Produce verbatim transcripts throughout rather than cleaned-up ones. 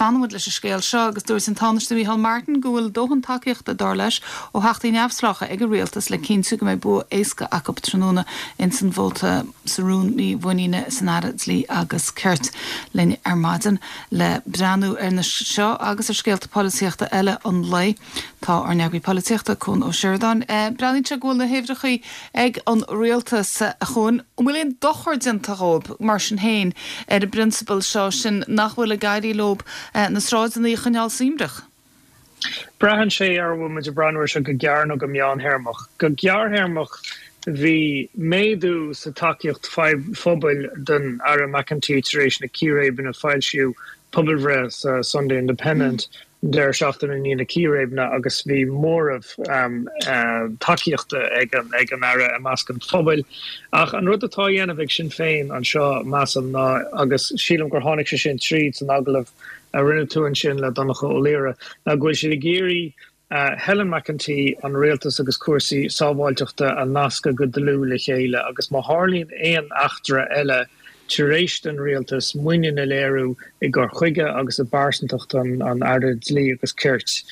Fanfaimid leis an scéal seo agus dúirt an Tánaiste Micheál Martin go bhfuil dóthain tacaíochta dar leis ó theachtaí neamhspleácha ag an rialtas le cinntiú go mbeidh bua éasca acu tráthnóna in san vóta sa rún mímhuiníne san Aire Dlí agus Cirt linn ar maidin le breathnú ar na seo agus ar scéalta polaitíochta eile an lae tá ár n-eagraí polaitíochta Cuan Ó Seireadáin. Eh, Breathnaíonn sé go bhfuil na huimhreacha ag an rialtas a Chuain an bhfuil aon dochar déanta dóibh mar sin féin ar an bprionsabal seo sin nach bhfuil ag éirí leo eh, na sráideanna a choinneáil suaimhneach. Braitheann sé ar bhfuil muid ag breathnú seo go gearr nó go meánthéarmach. Go gearrthéarmach bhí méadú sa tacaíocht phobail don Aire McEntee tar éis na círéibeanna foilsíodh pobalbhreith sa Sunday Independent mm. deireadh seachtaine i ndiaidh na círéibeanna agus bhí móramh um, uh, tacaíochta ag an ag an aire i measc an phobail. Ach an rud atá á dhéanamh ag Sinn Féin anseo measaim ná agus sílim gur tháinig sé sin tríd san agallamh a rinne tú ansin le Donncha Ó Laoghaire ná go bhfuil siad ag iarraidh Uh, Helen McEntee an rialtas agus cúrsaí sábháilteachta a nascadh go dlúth le chéile agus má tharlaíonn aon eachtra eile tar éis don rialtas muinín a léiriú i gcur chuige agus i bpearsantacht an, an Aire Dlí agus Cirt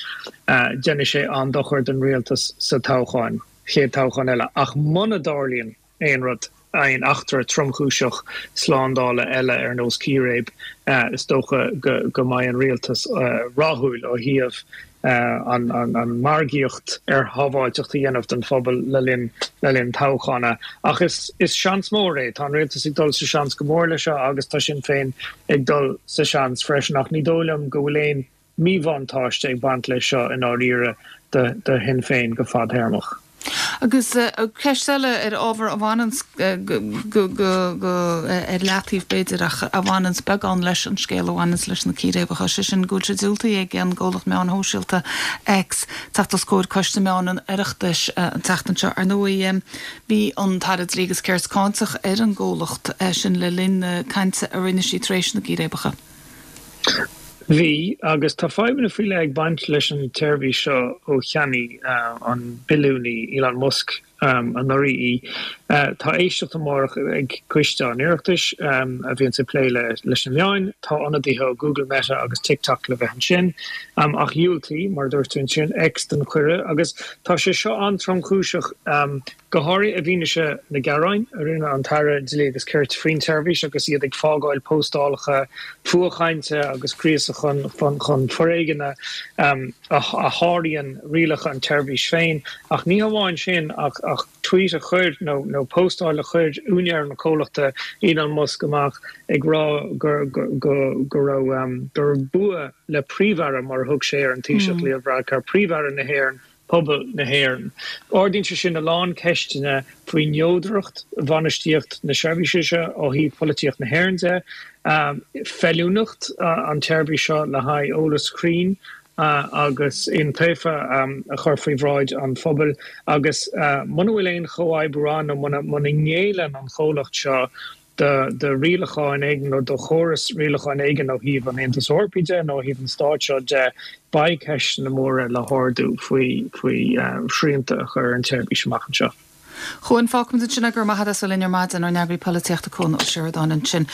uh, déanfaidh sé an-dochar don rialtas sa toghchán chéad toghchán eile ach muna dtarlaíonn aon rud aon eachtra tromchúiseach slándála eile ar nós círéib uh, is dócha go, go mbeidh an rialtas uh, rathúil ó thaobh uh, an, an, an margaíocht ar shábháilteacht a dhéanamh don phobal le linn le linn toghchána. Ach is, is seans mór é tá an rialtas ag dul sa seans go mór le seo agus tá Sinn Féin ag dul sa seans freisin ach ní dóigh liom go bhfuil aon míbhuntáiste ag baint le seo in áirithe do, do Shinn Féin go fadtéarmach. Agus ceist eile ar ábhar a bhaineann go ar leataobh b'fhéidir ach a bhaineann beagán leis an scéal a bhaineann leis na círéibeacha sé sin go bhfuil sé diúltaithe ag an gcomhlacht meán sóisialta X teacht os comhair Coiste Meán an Oireachtais an tseachtain seo ar ndóigh bhí an tAire Dlí agus Cirt cáinteach ar an gcomhlacht sin le linn na cainte a rinne sí tar éis na gcíréibeacha. Bhí agus tá fadhbanna faoi leith ag baint leis an tseirbhís seo ó cheannaigh uh, an billiúnaí Elon Musk um, anuraidh í. Uh, tá éisteacht amárach ag coiste an Oireachtais um, a bhíonn ag plé le leis na meáin, tá ionadaithe ó Google Meta agus TikTok le bheith ansin um, ach dhiúltaigh mar dúirt sin X don chuireadh agus tá sé seo an-tromchúiseach um, go háirithe i bhfianaise na gearáin a rinne an tAire Dlí agus Cirt faoin tseirbhís agus iad ag fágáil postálacha fuathchainte agus gríosadh chun chun chun foréigin um, a, a sháraíonn rialacha an tseirbhís féin ach ní hamháin sin ach ach tweet a chuir nó nó postáil a chuir úinéir na comhlachta Elon Musk amach ag rá gur go go go raibh um, gur bua le príomh-aire mar thug sé ar an Taoiseach mm. Leo Varadkar príomh-aire na hÉireann pobal na hÉireann. Ardaíonn sé sin a lán ceisteanna faoi neodracht bhainistíocht na seirbhíse seo ó thaobh polaitíocht na hÉireann de, um, feiliúnacht uh, an tseirbhís seo le haghaidh eolas cruinn uh, agus iontaofa um, a chur faoi bhráid an phobail agus uh, muna bhfuil aon chomhoibriú nó muna ngéilleann an chomhlacht seo de de rialacháin éigin nó do chóras rialacháin éigin ó thaobh an Aontais Eorpaigh de nó thaobh an stáit seo de beidh ceisteanna móra le hardú faoi faoi uh, srianta a chur an tseirbhís amach anseo. Chuan fágfaimid sin go maith as linn ar maidin ár n-eagraí polaitíochta Cuan Ó Seireadáin ansin.